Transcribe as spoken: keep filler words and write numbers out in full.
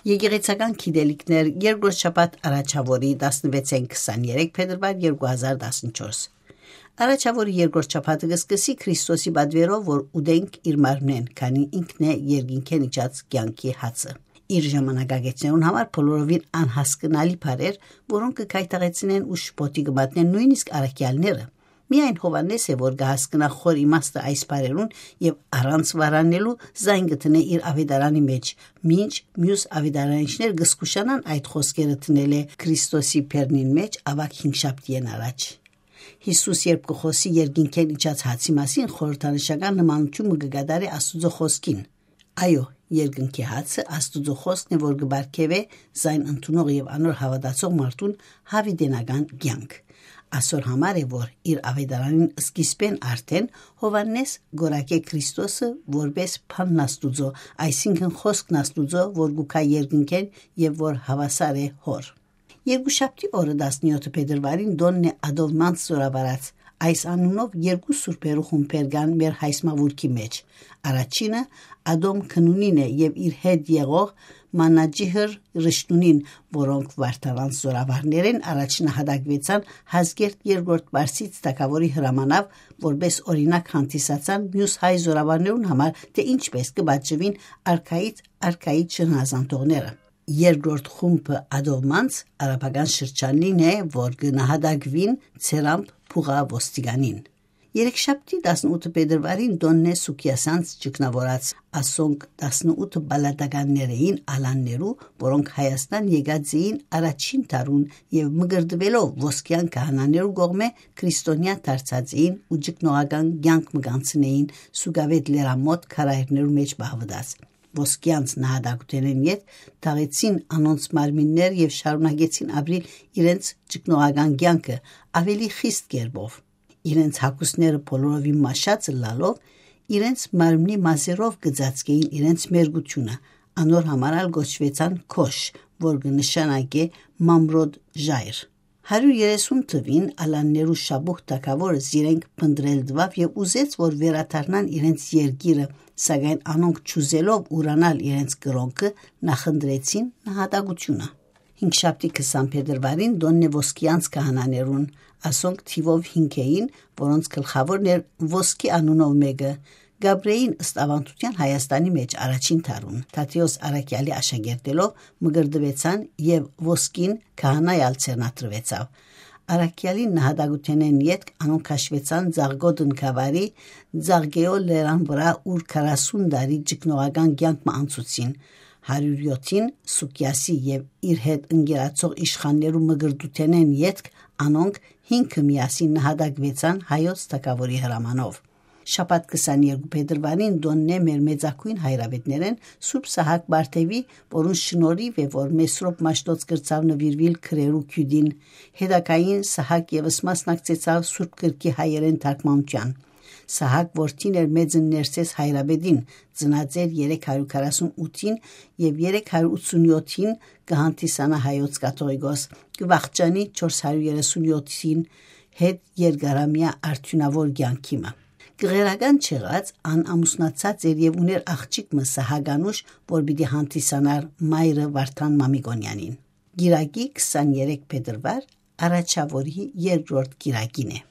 Եկեղեցական գիտելիքներ, երկրորդ շաբաթ, առաջաւորի, տասնվեցէն քսաներեք փետրուար երկու հազար տասնչորս։ Առաջաւորի երկրորդ շաբաթը կը սկսի Քրիստոսի պատվերով, որ ուտենք իր մարմնէն, քանի ինքն է երկինքէն իջած կեանքի հացը։ Իր ժամանակագէտներուն համար բոլորովին անհասկնալի բառեր, որոնք կը գայթակղեցնեն ու շփոթի կը մատնեն նոյնիսկ առաքեալները։ Միայն Յովհաննէս է, որ կը հասկնայ խոր իմաստը այս բառերուն եւ առանց վարանելու զայն կը դնէ իր աւետարանի մէջ, մինչ միւս աւետարանիչներ կը զգուշանան այդ խօսքերը դնելէ Քրիստոսի բերնին մէջ, աւագ հինգշաբթիէն առաջ։ Յիսուս, երբ կը խօսի երկինքէն իջած հացի մասին, խորհրդանշական նմանութիւն մը կը կատարէ Աստուծոյ խօսքին։ Այո, երկնքի հացը Աստուծոյ խօսքն է, որ կը պարգեւէ զայն ընդունող եւ անոր հաւատացող մարդուն յաւիտենական կեանք։ Ասոր համար է, որ իր աւետարանին սկիզբէն արդէն Յովհաննէս կ'որակէ Քրիստոսը որպէս բանն Աստուծոյ, այսինքն խօսքն Աստուծոյ, որ կու գայ երկնքէն եւ որ հաւասար է Հօր։ Երկուշաբթի օրը, տասնեօթը փետրուարին, տօնն է Ատովմանց զօրավարած։ Այս անունով երկու սուրբերու խումբեր կան մեր հայսմավուրքի մէջ։ Առաջինը Ատոմ Քնունին է եւ իր հետ եղող Մանաջիհր Ռշտունին, որոնք վարդարանց զօրավարներէն առաջ նահատակուեցան Հազգերդ Երկրորդ Պարսից թագաւորի հրամանաւ, որպէս օրինակ հանդիսացան միւս հայ զօրավարներուն համար, թէ ինչպէս կը պատժուին արքայից արքայի չհնազանդողները։ Երկրորդ խումբը Ատովմանց արաբական շրջանին է, որ կը նահատակուին Ցերամփ Փուղա ոստիկանին։ Երեքշաբթի, տասնութը փետրուարին, տօնն է Սուքիասյանց ճգնաւորած, ասոնք տասնութը պալատականներ էին ալաններու, որոնք Հայաստան եկած էին առաջին դարուն եւ մկրտուելով ոսկեան քահանաներու կողմէ, քրիստոնեայ դարձած էին ու ճգնողական կեանք մը կ'անցնէին Սուկավետ լերամօտ քարայրներու մէջ պահուած։ Ոսկեանց նահատակութենէն ետք թաղեցին անոնց մարմիններ եւ շարունակեցին ապրիլ իրենց ճգնողական կեանքը աւելի խիստ կերպով։ Իրենց հագուստները բոլորովին մաշած ըլլալով, իրենց մարմնի մազերով կը ծածկէին իրենց մերկութիւնը, անոր համար ալ կոչուեցան Քոշ, որ կը նշանակէ մամրոտ ժայռ։ Հարիւր երեսուն թուին ալաններու շաբուխ թագաւորը զիրենք փնտռել տուաւ եւ ուզեց, որ վերադառնան իրենց երկիրը, սակայն անոնք, չուզելով ուրանալ իրենց կրօնքը, նախընտրեցին նահատակութիւնը։ Հինգշաբթի, քսան փետրուարին, տօնն է ոսկեանց քահանաներուն, ասոնք թիւով հինգ էին, որոնց գլխաւորն էր ոսկի անունով մէկը, Գաբրեին, ըստ աւանդութեան, Հայաստանի մէջ առաջին դարուն, Թադէոս առաքեալի աշակերտելով, մկրտուեցան եւ ոսկին քահանայ ալ ձեռնադրուեցաւ։ Առաքեալին նահատակութենէն ետք անոնք քաշուեցան Ձաղկոտ Նկավարի Ձաղկեօ լերան վրայ, ուր քառասուն տարի ճգնողական կեանք մը անցուցին։ Հարիւր յոթին Սուկիասի եւ իր հետ ընկերացող իշխաններու մկրտութենէն ետք անոնք հինգը միասին նահատակուեցան հայոց թագաւորի հրամանով։ Շաբաթ, քսաներկու փետրուարին, տօնն է մեր մեծագոյն հայրապետներէն Սուրբ Սահակ Բարթեւի, որուն շնորհիւ է, որ Մեսրոպ Մաշտոց կրցաւ նուիրուիլ քրերու քիւտին։ Հետագային Սահակ եւս մասնակցեցաւ Սուրբ Գրքի հայերէն թարգմանութեան։ Սահակ որդին էր Մեծն Ներսէս հայրապետին, ծնած էր երեք հարիւր քառասուն ութին, եւ երեք հարիւր ութսուն յոթին կը հանդիսանայ հայոց կաթողիկոս, կը վախճանի չորս հարիւր երեսուն յոթին հետ երկարամեայ արդիւնաւոր կեանքի մը։ Կղերական չեղած, ան ամուսնացած էր եւ ունէր աղջիկ մը, Սահակ Անուշ, որ պիտի հանդիսանար մայրը Վարդան Մամիկոնեանին։ Կիրակի, քսաներեք փետրուար, առաջաւորի երկրորդ կիրակին է։